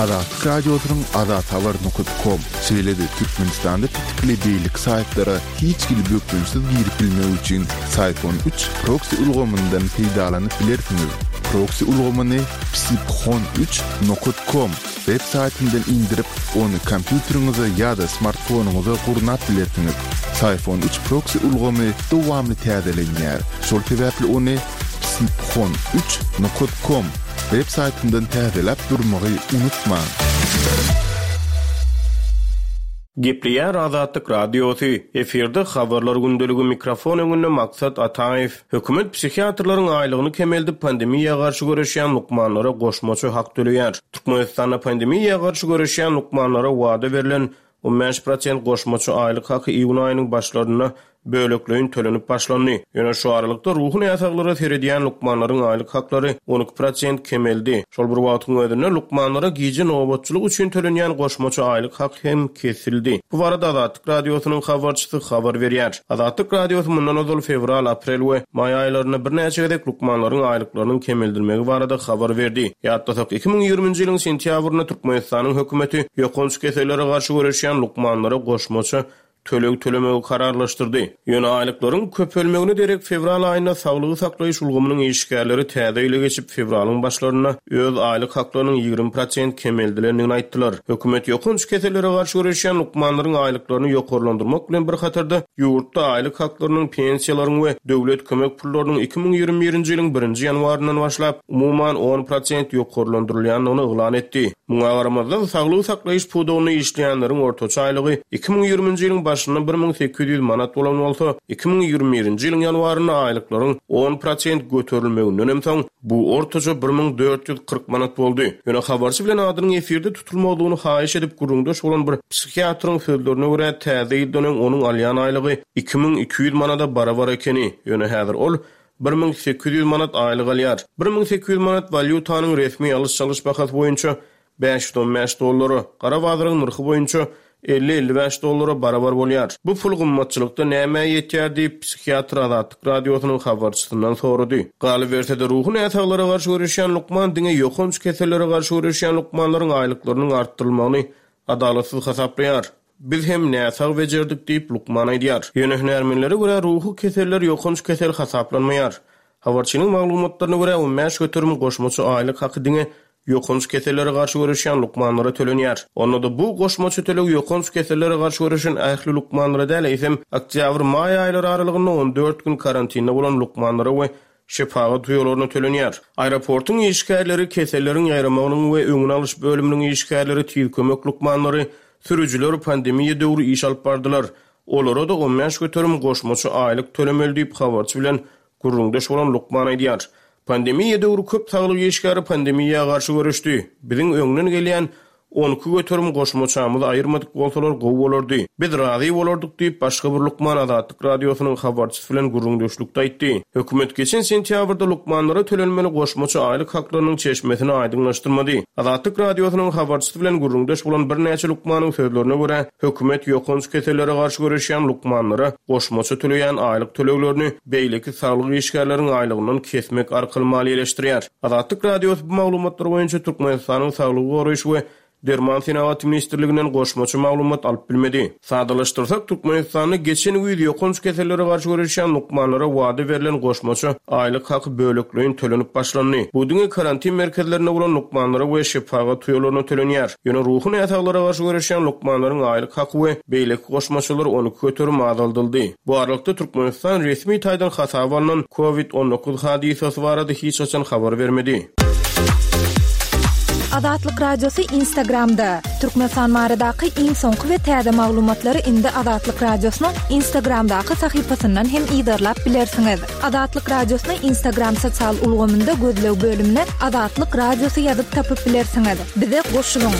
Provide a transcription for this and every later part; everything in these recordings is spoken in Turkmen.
Azatlyk Radiosynyň azathabar nokat kom, şeýle-de Türkmenistanda petikli beýleki saýtlara hiç hili bökdençsiz girip bilmek üçin Syphon üç proksi ulgamyndan peýdalanyp bilersiňiz. Proksi ulgamyny psiphon üç nokat kom web saýtyndan indirip, ony kompýuteriňize ýa-da smartfonyňyza gurnap bilersiňiz. Syphon üç proksi ulgamy dowamly täzelenýär, şol sebäpli ony psiphon üç nokat kom web saýtyndan täzeläp durmagy unutmaň. Gepleýär Azatlyk Radiosy, Efirde Habarlar gündeligi mikrofon öňünde Maksat Ataýew. Hökümet psihiatrlaryň aýlygyny kemeldip, pandemiýa garşy göreşýän lukmanlara goşmaça hak töleýär. Türkmenistanda pandemiýa garşy göreşýän lukmanlara wada berlen 15 prosent goşmaça aýlyk haky iýun aýynyň başlarynda bölekleýin tölenip başlandy. Ýöne şu aralykda ruhy näsaglara seredýän lukmanlaryň aýlyk haklary 12 prosent kemeldi. Şol bir wagtyň özünde lukmanlara gije nobatçylyk üçin tölenýän goşmaça aýlyk hak hem kesildi. Bu barada Azatlyk Radiosynyň habarçysy habar berýär. Azatlyk Radiosy mundan ozal fewral, aprel we maý aýlarynda birnäçe gezek lukmanlaryň aýlyklarynyň kemeldilmegi barada habar berdi. Ýatlasak, 2020-nji ýylyň sentýabrynda Türkmenistanyň hökümeti ýokanç kesellere garşy göreşýän lukmanlara goşmaça töleg tölemegi kararlaşdyrdy. Ýöne aýlyklaryň köpelmegine derek fewral aýynda saglygy saklaýyş ulgamynyň işgärleri täze ýyla geçip, fewralyň başlarynda öz aýlyk haklarynyň 20 prosent kemeldilendigini aýtdylar. Hökümet ýokanç kesellere garşy göreşýän lukmanlaryň aýlyklaryny ýokarlandyrmak bilen bir hatarda, ýurtda aýlyk haklarynyň, pensiýalaryň we döwlet kömek pullarynyň 2021-nji ýylyň birinji ýanwaryndan başlap, umuman on prosent ýokarlandyrylýandygyny yglan etdi. Muňa garamazdan, saglygy saklaýyş pudagynda işleýänleriň ortaça aýlygy 2020-nji ýylyň başynda 1800 manat bolan bolsa, 2021-nji ýylyň ýanwarynda aýlyklaryň on prosent göterilmegindenem soň, bu ortaça 1440 manat boldy. Ýöne habarçy bilen adynyň efirde tutulmazlygyny haýyş edip gürrüňdeş bolan bir psihiatryň sözlerine görä, täze ýyldan öň onuň alýan aýlygy 2200 manada barabar ekeni, ýöne häzir ol 1800 manat aýlyk alýar. 1800 manat walýutanyň resmi alyş-çalyş bahasy boýunça 515 dollara, gara bazaryň nyrhy boýunça 50-55 dollara barabar bolýar. Bu pul gymmatçylykda nämä ýetýär diýip, psihiatr Azatlyk Radiosynyň habarçysyndan sorady. Galyberse-de, ruhy näsaglara garşy göreşýän lukman diňe ýokanç kesellere garşy göreşýän lukmanlaryň aýlyklarynyň artdyrylmagyny adalatsyz hasaplaýar. Biz hem näsag bejerdik diýip, lukman aýdýar. Ýöne hünärmenlere görä, ruhy keseller ýokanç kesel hasaplanmaýar. Habarçynyň maglumatlaryna görä, 15% goşmaça aýlyk haky diňe ýokanç kesellere garşy göreşýän lukmanlara tölenýär. Onda-da bu goşmaça töleg ýokanç kesellere garşy göreşen ähli lukmanlara däl, eýsem, oktýabr-maý aýlary aralygynda 14 gün karantinde bolan lukmanlara we Şepagat uýalaryna tölenýär. Aeroportuň işgärleri, keselleriň ýaýramagynyň we öňüni alyş bölüminiň işgärleri, tiz kömek lukmanlary, sürüjiler pandemiýa döwri iş alyp bardylar. Olara-da 15% goşmaça aýlyk tölemeli diýip, habarçy bilen gürrüňdeş bolan lukman aýdýar. Pandemiýa döwri köp saglyk işgäri pandemiýa garşy göreşdi. Biziň öňden gelýän 12% goşmaçamyzy aýyrmadyk bolsalar gowy bolardy. Biz razy bolardyk diýip, başga bir lukman Azatlyk Radiosynyň habarçysy bilen gürrüňdeşlikde aýtdy. Hökümet geçen sentýabrda lukmanlara tölenmeli goşmaça aýlyk haklarynyň çeşmesini aýdyňlaşdyrmady. Azatlyk Radiosynyň habarçysy bilen gürrüňdeş bolan birnäçe lukmanyň sözlerine görä, hökümet ýokanç kesellere garşy göreşýän lukmanlara goşmaça töleýän aýlyk töleglerini beýleki saglyk işgärleriň aýlygyndan kesmek arkaly maliýeleşdirýär. Azatlyk Radiosy bu maglumatlar boýunça Türkmenistanyň Saglygy goraýyş we derman senagaty ministrliginden goşmaça maglumat alyp bilmedi. Sadalaşdyrsak, Türkmenistanda geçen güýz ýokanç kesellere garşy göreşýän lukmanlara wada berlen goşmaça aýlyk haky bölekleýin tölenip başlandy. Bu diňe karantin merkezlerinde bolan lukmanlara we şepagat uýalaryna tölenýär. Ýöne ruhy näsaglara garşy göreşýän lukmanlaryň aýlyk haky we beýleki goşmaçalar 12% azaldyldy. Bu aralykda, Türkmenistan resmi taýdan hasaba alnan Covid 19 hadysasy barada hiç haçan habar bermedi. Azatlyk Radiosy Instagramda, Türkmenistan baradaky iň soňky we täze maglumatlary indi Azatlyk Radiosynyň Instagramdaky sahypasyndan hem yzarlap bilersiňiz. Azatlyk Radiosyny Instagram sosial ulgamynda gözleg bölümine Azatlyk Radiosy ýazyp tapyp bilersiňiz. Bize goşulyň!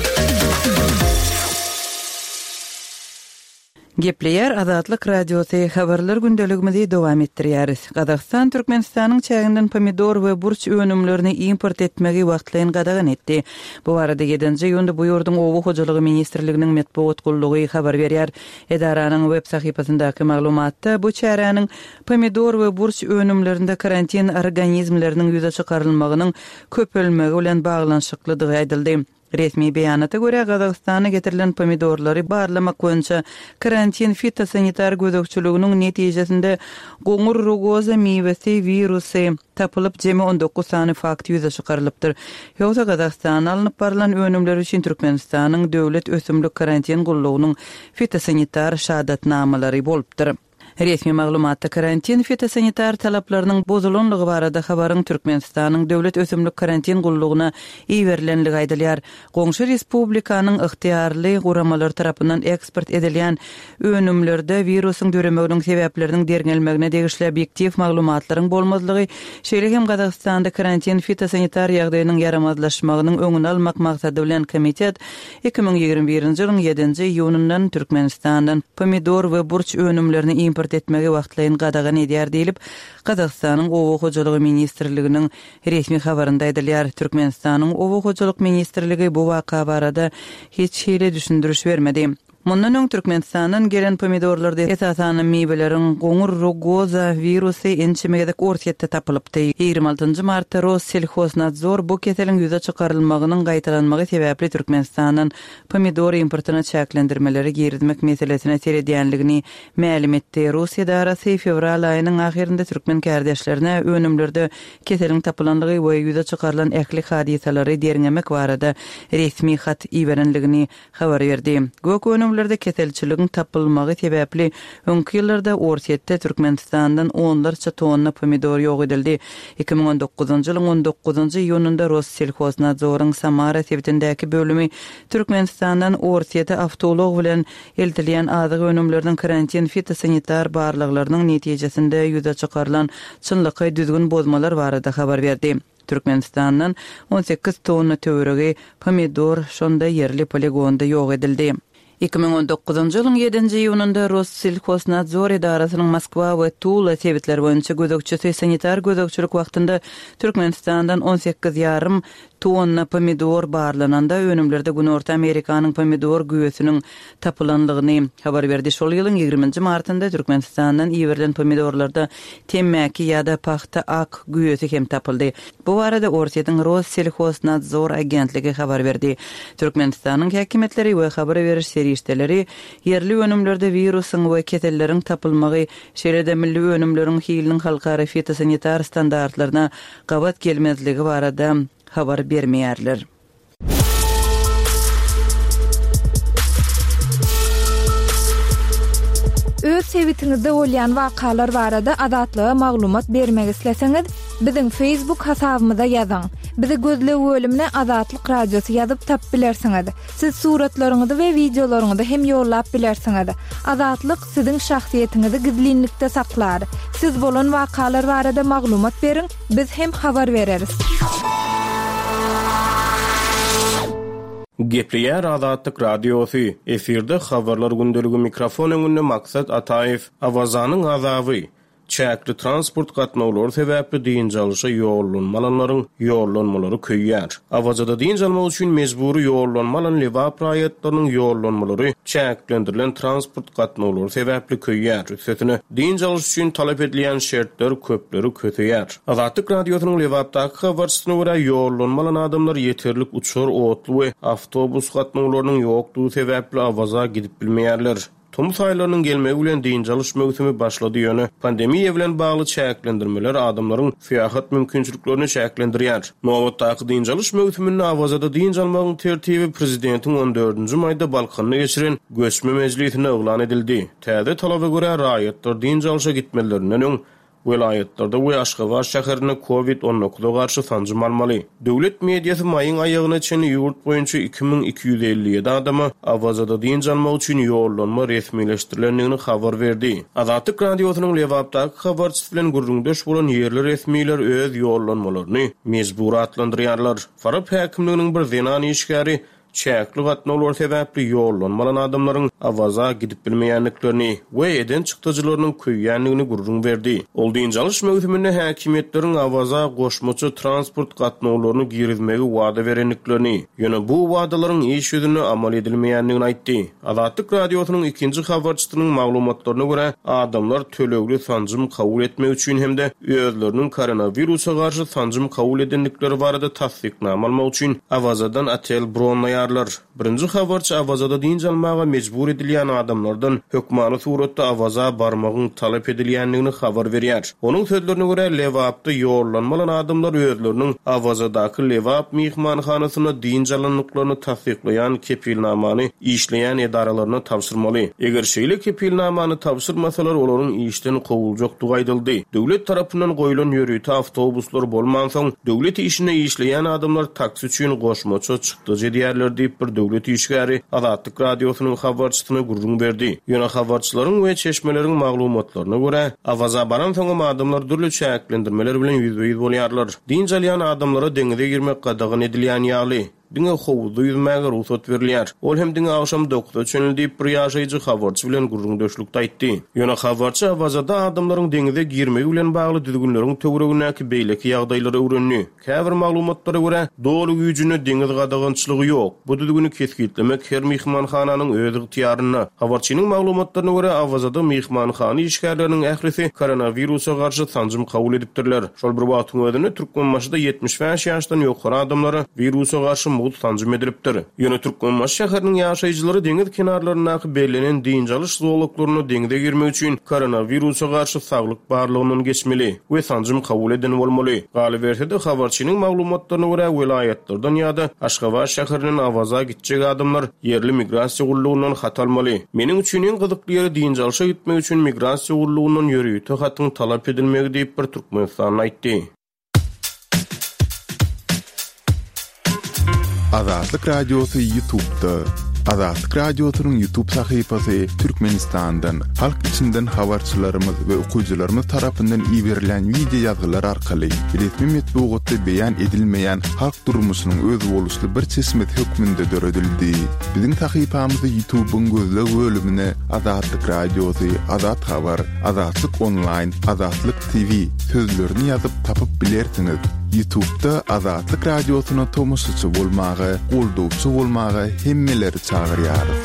Gepleýär Azatlyk Radiosy, Habarlar gündeligimizi dowam etdirýäris. Gazagystan Türkmenistanyň çäginden pomidor we burç önümlerini import etmegi wagtlaýyn gadagan etdi. Bu barada ýedinji iýunda bu ýurduň Oba hojalygy ministrliginiň metbugat gullugy habar berýär. Edaranyň web sahypasyndaky maglumatda bu çäräniň pomidor we burç önümlerinde karantin organizmleriniň ýüze çykarylmagynyň köpelmegi bilen baglanyşyklydygy aýdyldy. Resmi beýanata görä, Gazagystana getirilen pomidorlary barlamak boýunça karantin fitosanitar gözegçiliginiň netijesinde goňur rugoza miwesi wirusy tapylyp, jemi 19 sany fakt ýüze çykarylypdyr. Ýogsa Gazagystana alnyp barylan önümler üçin Türkmenistanyň Döwlet ösümlik karantin gullugynyň fitosanitar şahadatnamalary bolupdyr. Resmi maglumatda karantin fitosanitar talaplarynyň bozulanlygy barada habaryň Türkmenistanyň Döwlet ösümlik karantin gullugyna iberilenligi aýdylýar. Goňşy respublikanyň ygtyýarly guramalary tarapyndan eksport edilýän önümlerde wirusyň döremeginiň sebäpleriniň derňelmegine degişli obýektiw maglumatlaryň bolmazlygy, şeýle hem Gazagystanda karantin fitosanitar ýagdaýynyň ýaramazlaşmagynyň öňüni almak maksady bilen komitet 2021-nji ýylyň ýedinji iýunyndan Türkmenistandan pomidor we burç önümlerini import etmegi wagtlaýyn gadagan edýär diýlip, Gazagystanyň Oba hojalygy ministrliginiň resmi habarynda aýdylýar. Türkmenistanyň Oba hojalyk ministrligi bu waka barada hiç hili düşündiriş bermedi. Mundan öň Türkmenistandan gelen pomidorlarda esasanam miweleriň goňur rugoza wirusy ençeme gezek Orsýetde tapylypdy. 26 nji martda Rosselhoznadzor bu keseliň ýüze çykarylmagynyň gaýtalanmagy sebäpli Türkmenistandan pomidor importyna çäklendirmeleri girizmek meselesine seredýänligini mälim etdi. Rus edarasy fewral aýynyň ahyrynda türkmen kärdeşlerine önümlerde keseliň tapylanlygy we ýüze çykarylan ähli hadysalary derňemek barada resmi hat iberenligini habar berdi. Gök önümlerde keselçiligiň tapylmagy sebäpli öňki ýyllarda Orsýetde Türkmenistandan onlarça tonna pomidor ýok edildi. 2019-njy ýylyň on dokuzynjy iýunynda Rosselhoznadzoryň Samara sebitindäki bölümi Türkmenistandan Orsýete awtoulag bilen eltilýän azyk önümleriniň karantin fitosanitar barlaglarynyň netijesinde ýüze çykarylan çynlakaý düzgün bozmalar barada habar berdi. Türkmenistandan 18 tonna töweregi pomidor şonda ýerli poligonda ýok edildi. 2019-njy ýylyň ýedinji iýunynda Rosselhoznadzor edarasynyň Moskwa we Tula sebitleri boýunça gözegçisi sanitar gözegçilik wagtynda Türkmenistandan on sekiz ýarym tonna pomidor barlananda önümlerde Günorta Amerikanyň pomidor güýesiniň tapylanlygyny habar berdi. Şol ýylyň ýigriminji martynda Türkmenistandan iberilen pomidorlarda temmäki ýa-da pagta ak güýesi hem tapyldy. Bu barada Orsýetiň Rosselhoznadzor agentligi habar berdi. Türkmenistanyň häkimiýetleri we habar beriş serişdeleri ýerli önümlerde wirusyň we keselleriň tapylmagy, şeýle-de milli önümleriň hiliniň halkara fitosanitar standartlaryna gabat gelmezligi barada habar bermeýärler. Öz sebitiňizde bolýan wakalar barada Azatlyga maglumat bermek isleseňiz, biziň Facebook hasabymyza ýazyň. Bizi gözleg bölümine Azatlyk Radiosy ýazyp tapyp bilersiňiz. Siz suratlaryňyzy we wideolaryňyzy hem ýollap bilersiňiz. Azatlyk siziň şahsyýetiňizi gizlinlikde saklar. Siz bolan wakalar barada maglumat beriň, biz hem habar bereris. Gepleýär Azatlyk Radiosy, efirde Habarlar gündeligi mikrofon öňünde Maksat Ataýew, Awazanyň azaby, Çäkli transport gatnawlary sebäpli dynç alyşa ýollanma alanlaryň ýollanmalary köýýär. Awazada dynç almak üçin mejbury ýollanma alan Lebap raýatlarynyň ýollanmalary çäklendirilen transport gatnawlary sebäpli köýýär. Üstesine, dynç alyş üçin talap edilýän şertler köpleri köseýär. Azatlyk Radiosynyň Lebapdaky habarçysyna görä, ýollanma alan adamlar ýeterlik uçar, otly we awtobus gatnawlarynyň ýokdugy sebäpli Awaza gidip bilmeýärler. Tomus aýlarynyň gelmegi bilen dynç alyş möwsümi başlady, ýöne pandemiýa bilen bagly çäklendirmeler adamlaryň syýahat mümkinçiliklerini çäklendirýär. Nobatdaky dynç alyş möwsüminde Awazada dynç almagyň tertibi prezidentiň on dördünji maýda Balkanda geçiren göçme mejlisinde yglan edildi. Täze talaba görä, raýatlar dynç alşa gitmezlerinden öň Welaýatlarda we Aşgabat şäherinde Covid 19 garşy sanjym almaly. Döwlet mediasy maýyň aýagyna çenli ýurt boýunça 2257 adama Awazada dynç almak üçin ýollanma resmileşdirilendigini habar berdi. Azatlyk Radiosynyň Lebapdaky habarçysy bilen gürrüňdeş bolan ýerli resmiler öz ýollanmalaryny mejbury atlandyrýarlar. Farap häkimliginiň bir zenan işgäri. Çäkli gatnawlar sebäpli ýollanma alan adamlaryň Awaza gidip bilmeýändiklerini we eden çykdajylarynyň köýýändigini gürrüň berdi. Ol dynç alyş möwsüminde häkimiýetleriň Awaza goşmaça transport gatnawlaryny girizmegi wada berendiklerini, ýöne bu wadalaryň iş ýüzünde amal edilmeýändigini aýtdy. Azatlyk Radiosynyň ikinji habarçysynyň maglumatlaryna görä, adamlar tölegli sanjym kabul etmek üçin hem-de özleriniň koronawirusa garşy sanjym kabul edendikleri barada tassyknama almak üçin Awazadan otel bronlaýarlar. Birinji habarçy Awazada dynç almaga mejbur edilýän adamlardan hökmany suratda Awaza barmagyň talap edilýändigini habar berýär. Onuň sözlerine görä, Lebapda ýollanma alan adamlar özleriniň Awazadaky Lebap myhmanhanasynda dynç alandyklaryny tassyklaýan kepilnamany işleýän edaralaryna tabşyrmaly. Eger şeýle kepilnamany tabşyrmasalar, olaryň işden kowuljakdygy aýdyldy. Döwlet tarapyndan goýlan ýörite awtobuslar bolmansoň, döwlet işinde işleýän adamlar taksi üçin goşmaça çykdajy edýärler diýip, bir döwlet işgäri Azatlyk Radiosynyň habarçysyna gürrüň berdi. Ýöne habarçylaryň we çeşmeleriň maglumatlaryna görä, Awaza baransoňam adamlar dürli çäklendirmeler bilen ýüzbe-ýüz bolýarlar. Dynç alýan adamlara deňize girmek gadagan edilýän ýaly. Diňe howuzda ýüzmäge rugsat berilýär. Ol hem diňe agşam dokuza çenli diýip, bir ýaşaýjy habarçy bilen gürrüňdeşlikde aýtdy. Ýöne habarçy Awazada adamlaryň deňize girmegi bilen bagly düzgünleriň töweregindäki beýleki ýagdaýlary öwrendi. Käbir maglumatlara görä, doly güýjünde deňiz gadagançylygy ýok. Bu düzgüni kesgitlemek her myhmanhananyň öz ygtyýarynda. Habarçynyň maglumatlaryna görä, Awazada myhmanhana işgärleriniň ählisi koronawirusa garşy sanjym kabul edipdirler. Şol bir wagtyň özünde, Türkmenbaşyda 75 ýaşdan ýokary adamlara wirusa garşy mugt sanjym edilipdir. Ýöne Türkmenbaşy şäheriniň ýaşaýjylary deňiz kenarlaryndaky bellenen dynç alyş zolaklarynda deňize girmek üçin koronawirusa garşy saglyk barlagyndan geçmeli we sanjym kabul eden bolmaly. Galyberse-de, habarçynyň maglumatlaryna görä, welaýatlardan ýa-da Aşgabat şäherinden Awaza gitjek adamlar ýerli migrasiýa gullugyndan hat almaly. Meniň üçin iň gyzykly ýeri dynç alşa gitmek üçin migrasiýa gullugyndan ýörite hatyň talap edilmegi diýip, bir türkmenistanly aýtdy. Azatlyk Radiosy Ýutubda. Azatlyk Radiosynyň Ýutub sahypasy Türkmenistandan, halk içinden habarçylarymyz we okyjylarymyz tarapyndan iberilen wideo ýazgylar arkaly resmi metbugatda beýan edilmeýän halk durmuşynyň özboluşly bir çeşmesi hökmünde döredildi. Biziň sahypamyzy Ýutubyň gözleg bölümine Azatlyk Radiosy, Azat Habar, Azatlyk Onlaýn, Azatlyk TV sözlerini ýazyp tapyp bilersiňiz. Ýutubda Azatlyk Radiosyna tomaşaçy bolmaga, goldawçy bolmaga hemmeleri çagyrýarys.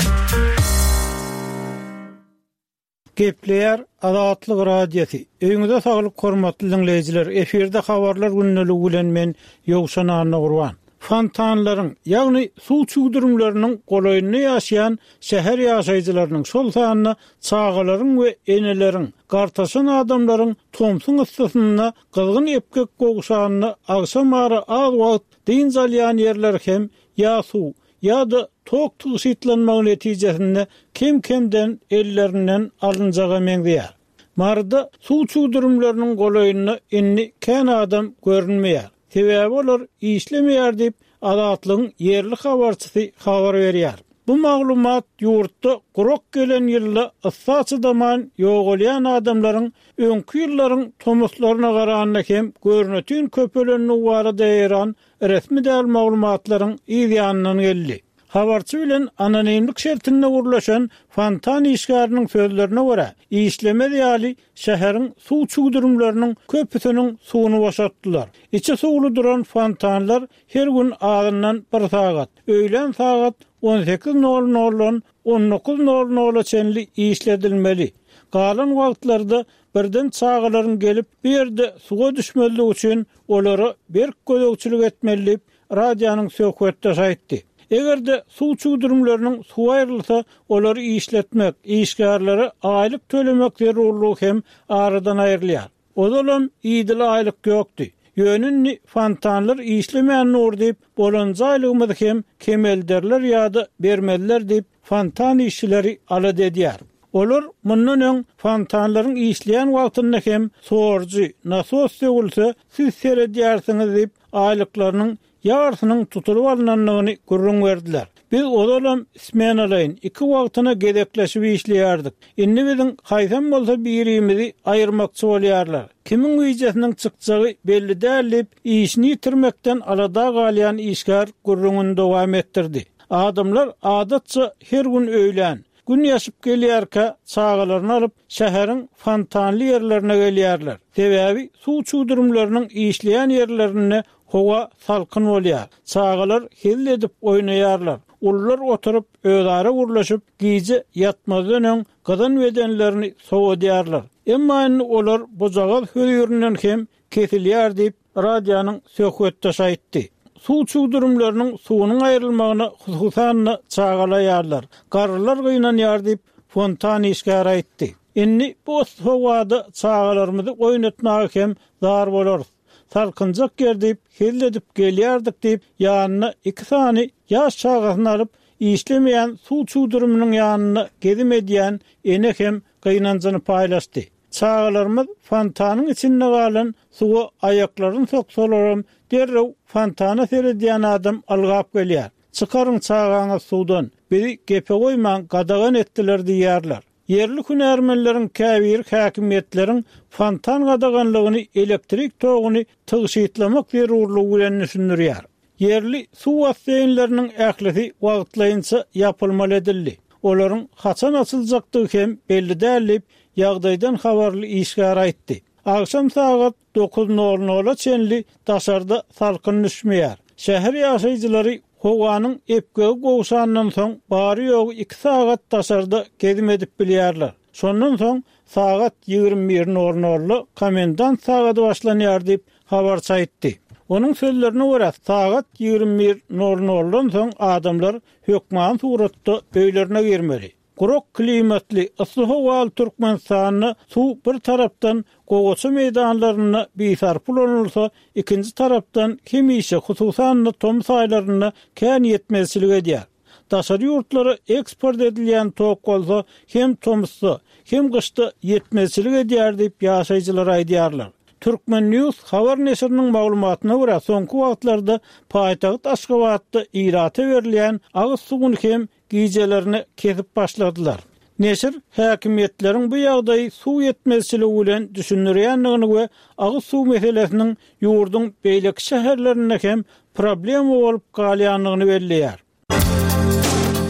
Gepleýär Azatlyk Radiosy. Öýüňize saglyk hormatly diňleýjiler. Efirde habarlar gündeligi bilen men Ýowşan Annagurban. Fontanlaryň, ýagny suw çüwdürimleriniň golaýynda ýaşaýan şäher ýaşaýjylarynyň, şol sanda çagalaryň we eneleriň, gartaşan adamlaryň tomsuň yssysynda gyzgyn epgek gowşanda agşamara az wagt dynç alýan ýerleri hem ýa suw, ýa-da tok tygşytlanmagy netijesinde kem-kemden ellerinden alynjaga meňzeýär. Maryda suw çüwdürimleriniň golaýynda indi kän adam görünmeýär. Sebäbi olar işlemeýär diýip, Azatlygyň ýerli habarçysy habar berýär. Bu maglumat ýurtda gurak gelen ýylda yssa çydaman ýogalýan adamlaryň öňki ýyllaryň tomuslaryna garanda hem görnetin köpelendigi barada ýaýran resmi däl maglumatlaryň yz ýanyndan geldi. Habarçy bilen anonimlik şertinde gürleşen fontan işgäriniň sözlerine görä, işlemez ýaly şäheriň suw çüwdürimleriniň köpüsiniň suwuny boşatdylar. Içi suwly duran fontanlar her gün azyndan bir sagat, öýlän sagat on sekiz nol noldan on dokuz nol nola çenli işledilmeli. Galan wagtlarda birden çagalaryň gelip bu ýerde suwa düşmezligi üçin olara berk gözegçilik etmeli diýip, radionyň söhbetdeşi aýtdy. Eger-de suw çüwdürimleriniň suwy aýrylsa, olary işletmek, işgärlere aýlyk tölemek zerurlygy hem aradan aýrylýar. Ozalam idili aýlyk ýokdy. Ýöne indi fontanlar işlemän dur diýip, bolanja aýlygymyzy hem kemelderler ýa-da bermezler diýip, fontan işçileri alada edýär. Olar mundan öň fontanlaryň işleýän wagtynda hem sorujy, nasos sögülse, siz seredýärsiňiz diýip, aýlyklarynyň ýarysynyň tutulyp alnandygyny gürrüň berdiler. Biz ozalam smenalaýyn, iki wagtyna gezekleşip işleýärdik. Indi biziň haýsam bolsa birimizi aýyrmakçy bolýarlar. Kimiň wijesiniň çykjagy belli däl diýip, işini ýitirmekden alada galýan işgär gürrüňini dowam etdirdi. Adamlar adatça her gün öýlän, Gün ýaşyp gelýärkä çagalaryny alyp, şäheriň fontanly ýerlerine gelýärler. Sebäbi suw çüwdürimleriniň işleýän ýerlerinde howa salkyn bolýar. Çagalar hezil edip oýnaýarlar. Ulular oturyp, özara gürleşip, gije ýatmazdan öň gyzan bedenlerini sowadýarlar. Emma indi olar bujagaz hözirinden hem kesilýär diýip, radionyň söhbetdeşi aýtdy. Suw çüwdürimleriniň suwunyň aýrylmagyna hususan-da çagaly aýallar, garrylar gynanýar diýip, fontan işgäri aýtdy. Indi bu yssy howada çagalarymyzy oýnatmaga hem zar bolarys. Salkynjak ýer diýip, hezil edip gelýärdik diýip, ýanyna iki sany ýaş çagasyny alyp, işlemeýän suw çüwdüriminiň ýanynda gezim edýän ene hem gynanjyny paýlaşdy. Çagalarymyz fontanyň içinde galan suwa aýaklaryny soksalaram, derrew fontana seredýän adam ylgap gelýär. Çykaryň çagaňyzy suwdan, bizi gepe goýmaň, gadagan etdiler diýýärler. Ýerli hünärmenleriň käbiri häkimiýetleriň fontan gadaganlygyny elektrik toguny tygşytlamak zerurlygy bilen düşündirýär. Ýerli suw basseýnleriniň ählisi wagtlaýynça ýapylmaly edildi. Olaryň haçan açyljakdygy hem belli däl diýip, ýagdaýdan habarly işgär aýtdy. Agşam sagat dokuz nol nola çenli daşarda salkyn düşmeýär. Şäher ýaşaýjylary howanyň epgegi gowşandan soň bary-ýogy iki sagat daşarda gezim edip bilýärler. Şondan soň sagat 21 nol nolda komendant sagady başlanýar diýip, habarçy aýtdy. Onuň sözlerine görä, sagat 21 nol noldan soň adamlar hökmany suratda öýlerine girmeli. Gurak klimatly, yssy howaly Türkmenistanda suw bir tarapdan gowaça meýdanlarynda bisarpa ulanylsa, ikinji tarapdan hemişe, hususan-da tomus aýlarynda kän ýetmezçilik edýär. Daşary ýurtlara eksport edilýän tok bolsa hem tomusda, hem gyşda ýetmezçilik edýär diýip, ýaşaýjylar aýdýarlar. Turkmen. News habar neşiriniň maglumatyna görä, soňky wagtlarda paýtagt Aşgabatda ilata berilýän agyz suwuny hem gijelerine kesip başladylar. Neşir häkimiýetleriň bu ýagdaýy suw ýetmezçiligi bilen düşündirýändigini we agyz suw meselesiniň ýurduň beýleki şäherlerinde hem problema bolup galýandygyny belleýär.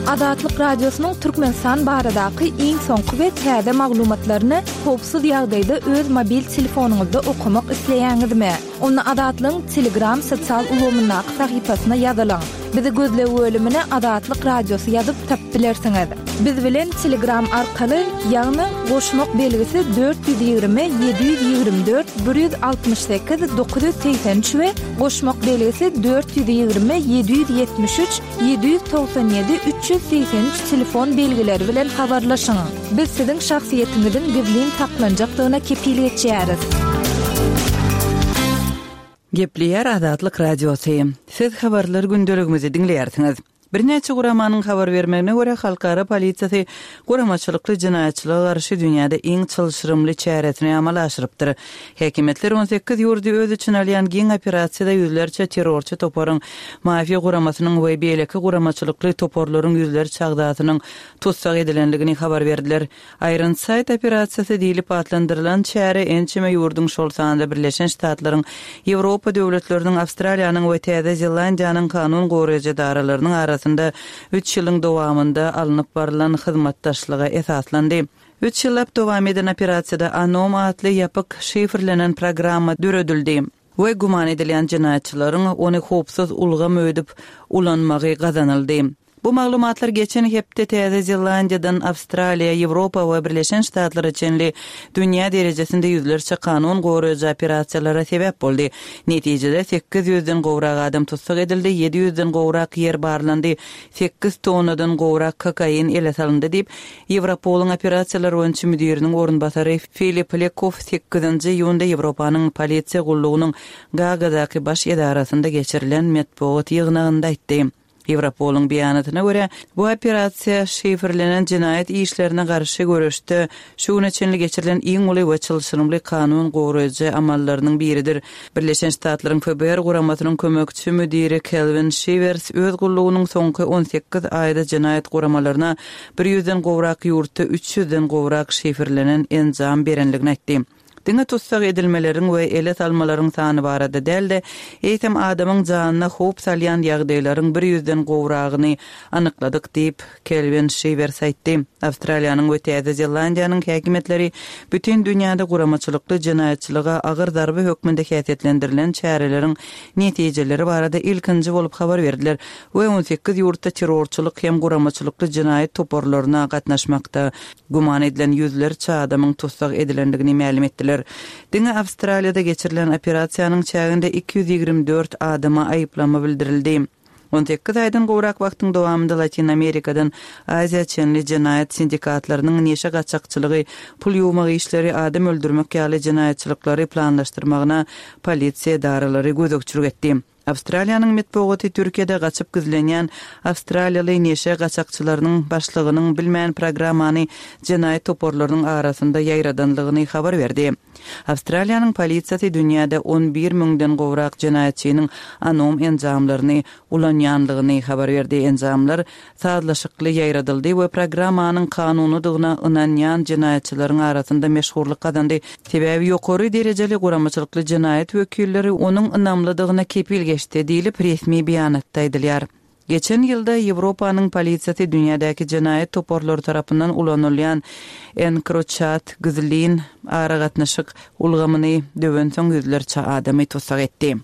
Azatlyk Radiosynyň Türkmenistan baradaky iň soňky we täze maglumatlaryny howpsuz ýagdaýda öz mobil telefonyňyzda okamak isleýäňizmi? Onda Azatlygyň Telegram sosial ulgamyndaky sahypasyna ýazylyň. Bizi gözleg bölümine Azatlyk Radiosy ýazyp tapyp bilersiňiz. Biz bilen Telegram arkaly, ýagny goşmak belgisi 420 724 168 983 we goşmak belgisi 420 773 797 383 telefon belgileri bilen habarlaşyň. Biz siziň şahsyýetiňiziň gizlin saklanjakdygyna kepil geçýäris. Gepleýär Azatlyk Radiosy. Siz habarlar gündeligimizi diňleýärsiňiz. Birnäçe guramanyň habar bermegine görä, halkara polisiýasy guramaçylykly jenaýatçylyga garşy dünýäde iň çylşyrymly çäresini amala aşyrypdyr. Häkimiýetler 18 ýurdy öz içine alýan giň operasiýada ýüzlerçe terrorçy toparyň, mafiýa guramasynyň we beýleki guramaçylykly toparlaryň ýüzlerçe agzasynyň tussag edilendigini habar berdiler. Ironside operasiýasy diýlip atlandyrylan çäre ençeme ýurduň, şol sanda Birleşen Ştatlaryň, Ýewropa döwletleriniň, Awstraliýanyň we Täze Zelandiýanyň kanun goraýjy edaralarynyň arasynda üç ýylyň dowamynda alnyp barlan hyzmatdaşlyga esaslandy. Üç ýyllap dowam eden operasiýada Anom atly ýapyk şifrlenen programma döredildi we güman edilýän jenaýatçylaryň ony howpsuz ulgam öýdüp ulanmagy gazanyldy. Bu maglumatlar geçen hepde Täze Zelandiýadan Awstraliýa, Ýewropa we Birleşen Ştatlara çenli dünýä derejesinde ýüzlerçe kanun goraýjy operasiýalara sebäp boldy. Netijede, sekiz ýüzden gowrak adam tussag edildi, ýedi ýüzden gowrak ýer barlandy, sekiz tonnadan gowrak kokain ele salyndy diýip, Ýewropolyň operasiýalar boýunça müdiriniň orunbasary Filip Lekoff sekizinji iýunda Ýewropanyň polisiýa gullugynyň Gaagadaky baş edarasynda geçirilen metbugat ýygnagynda aýtdy. Ýewropolyň beýanatyna görä, bu operasiýa şifrlenen jenaýat işlerine garşy göreşde şu güne çenli geçirilen iň uly we çylşyrymly kanun goraýjy amallarynyň biridir. Birleşen Ştatlaryň FBR guramasynyň kömekçi müdiri Kelwin Şiwers öz gullugynyň soňky 18 aýda jenaýat guramalaryna bir ýüzden gowrak ýurtda üç ýüzden gowrak şifrlenen enjam berenligini aýtdy. Diňe tussag edilmeleriň we ele salmalaryň sany barada däl-de, eýsem adamyň janyna howp salýan ýagdaýlaryň bir ýüzden gowragyny anykladyk diýip, Kelwin Şiwers aýtdy. Awstraliýanyň we Täze Zelandiýanyň häkimiýetleri bütin dünýäde guramaçylykly jenaýatçylyga agyr zarba hökmünde häsiýetlendirilen çäreleriň netijeleri barada ilkinji bolup habar berdiler we 18 ýurtda terrorçylyk hem guramaçylykly jenaýat toparlaryna gatnaşmakda güman edilen ýüzlerçe adamyň tussag edilendigini mälim etdiler. Diňe Awstraliýada geçirilen operasiýanyň çäginde 224 adama aýyplama bildirildi. 18 aýdan gowrak wagtyň dowamynda Latyn Amerikadan Aziýa çenli jenaýat sindikatlarynyň neşe gaçakçylygy, pul ýuwmak işleri, adam öldürmek ýaly jenaýatçylyklary planlaşdyrmagyna polisiýa edaralary gözegçilik etdi. Awstraliýanyň metbugaty Türkiýede gaçyp gizlenýän awstraliýaly neşe gaçakçylarynyň başlygynyň bilmän programmany jenaýat toparlarynyň arasynda ýaýradanlygyny habar berdi. Awstraliýanyň polisiýasy dünýäde 11 müňden gowrak jenaýatçynyň anom enjamlaryny ulanýanlygyny habar berdi. Enjamlar sazlaşykly ýaýradyldy we programmanyň kanunydygyna ynanýan jenaýatçylaryň arasynda meşhurlyk gazandy, sebäbi ýokary derejeli guramaçylykly jenaýat wekilleri onuň ynamlydygyna kepil geçdi diýlip, resmi beýanatda aýdylýar. Geçen ýylda Ýewropanyň polisiýasy dünýädäki jenaýat toparlary tarapyndan ulanylýan EncroChat gizlin aragatnaşyk ulgamyny döwensoň ýüzlerçe adamy tussag etdi.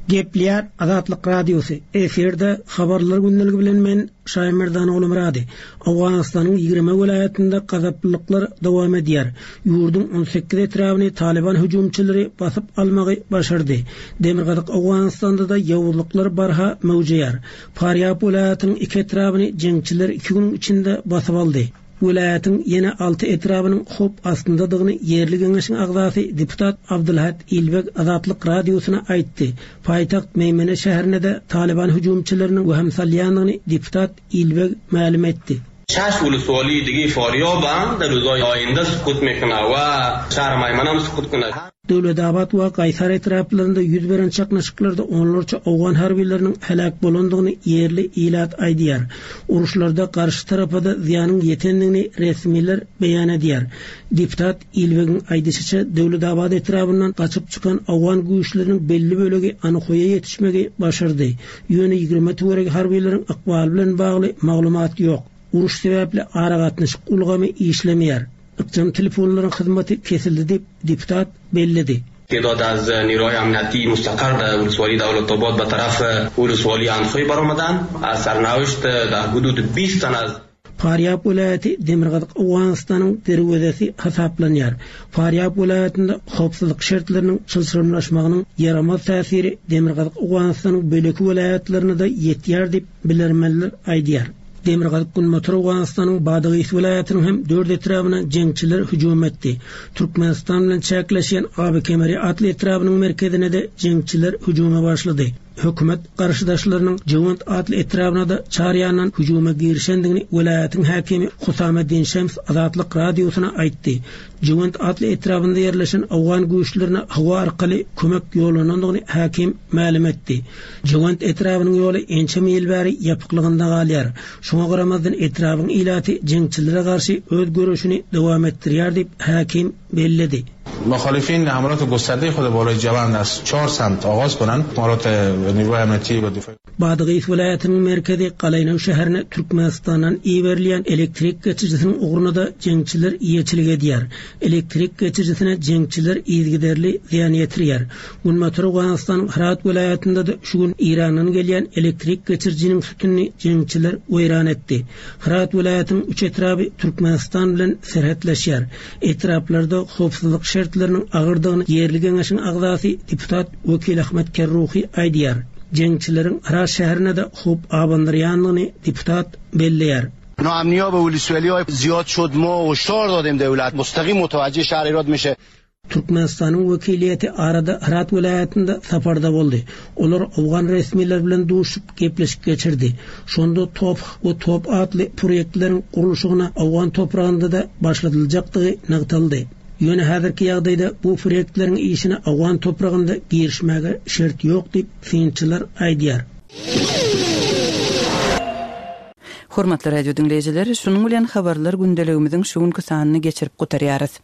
Gepleýär Azatlyk Radiosy, Efirde Habarlar gündeligi bilen men Şaýmerdan Ogulmyrady. Owganystanyň 20 welaýatynda gazaplylyklar dowam edýär. Ýurduň 18 etrabyny Talyban hüjümçileri basyp almagy başardy. Demirgazyk Owganystanda-da ýowuzlyklar barha möwjeýär. Farýab welaýatynyň iki etrabyny jeňçiler iki günüň içinde basyp aldy. Welaýatyň ýene alty etrabynyň howp astyndadygyny ýerli geňeşiň agzasy deputat Abdulhat Ilbeg Azatlyk Radiosyna aýtdy. Paýtagt Meýmene şäherine-de Talyban hüjümçileriniň wehim salýandygyny deputat Ilbeg mälim etdi. Şaş uluswali digi Forýobam da ruzoý oýunda sukut mekuna we şar Maýmanam sukut kuna. Döwletabat we Gaýsar etraplarynda ýüz beren çaknyşyklarda onlarça owgan harbylarynyň heläk bolandygyny ýerli ilat aýdýar. Uruşlarda garşy tarapa-da zyýanyň ýetendigini resmiler beýan edýär. Deputat Ilbegiň aýdyşyça, Döwletabat etrabyndan gaçyp çykan owgan güýçleriniň belli bölegi Anhoýa ýetişmegi başardy. Ýöne 20 töweregi harbylaryň ykbaly bilen bagly maglumat ýok. Uruş sebäpli aragatnaşyk ulgamy işlemeýär. Ykjam telefonlaryň hyzmaty kesildi diýip, deputat belledi. Tedad az niroy amniyati mustaqar dar ولسوالی دولت آباد به طرف ولسوالی اندخوی برآمدند از سرنوشت در حدود بیست تن از Farýab welaýaty Demirgazyk Owganystanyň derwezesi hasaplanýar. Farýab welaýatynda howpsuzlyk şertleriniň çylşyrymlaşmagynyň ýaramaz täsiri Demirgazyk Owganystanyň beýleki welaýatlaryna-da ýetýär diýip, bilermenler aýdýar. Demirgazyk-günbatar Owganystanyň Badagys welaýatynyň hem dört etrabyna jeňçiler hüjüm etdi. Türkmenistan bilen çäkleşýän Aby Kemeri atly etrabynyň merkezine-de jeňçiler hüjüme başlady. Hökümet garşydaşlarynyň Jewend atly etrabyna-da çar ýandan hüjüme girişendigini welaýatyň häkimi Husameddin Şems Azatlyk Radiosyna aýtdy. Jewend atly etrabynda ýerleşen owgan güýçlerine howa arkaly kömek ýollanandygyny häkim mälim etdi. Jewend etrabynyň ýoly ençeme ýyl bäri ýapyklygynda galýar. Şoňa garamazdan etrabyň ilaty jeňçilere garşy öz göreşini dowam etdirýär diýip, häkim belledi. Muhalifin hamlot gusterde hud bolay Jewend az çar semt agaz konand, hamalot niruhay amniyeti va difai. Badagys welaýatynyň merkezi Galaýnaw şäherine Türkmenistandan iberilýän elektrik geçirijisiniň ugruna-da jeňçiler eýeçilik edýär. Elektrik geçirijisine jeňçiler yzygiderli zyýan ýetirýär. Günbatar Owganystanyň Hyrat welaýatynda-da şu gün Eýrandan gelýän elektrik geçirijiniň sütünini jeňçiler weýran etdi. Hyrat welaýatynyň üç etraby Türkmenistan bilen serhetleşýär. Etraplarda howpsuzlyk şertleriniň agyrdygyny ýerli geňeşiň agzasy deputat Wekil Ahmet Kerruhi aýdýar. Jeňçileriň Hyrat şäherine-de howp abandyrýandygyny deputat belleýär. Noamniya be ulusvaliya ziyad şod ma hoşdar dadem devlet mustaqim mutawajjeh şehr Herat mişe. Türkmenistanyň wekiliýeti arada Hyrat welaýatynda saparda boldy. Olar owgan resmileri bilen duşup, gepleşik geçirdi. Şonda TOPH we top atly proýektleriň gurluşygyna owgan topragynda-da başladyljakdygy nygtaldy. Ýöne häzirki ýagdaýda bu proýektleriň işine owgan topragynda girişmäge şert ýok diýip, synçylar aýdýar. Hormatly radio diňleýjiler, şunuň bilen habarlar gündeligimiziň şu günki sanyny geçirip gutarýarys.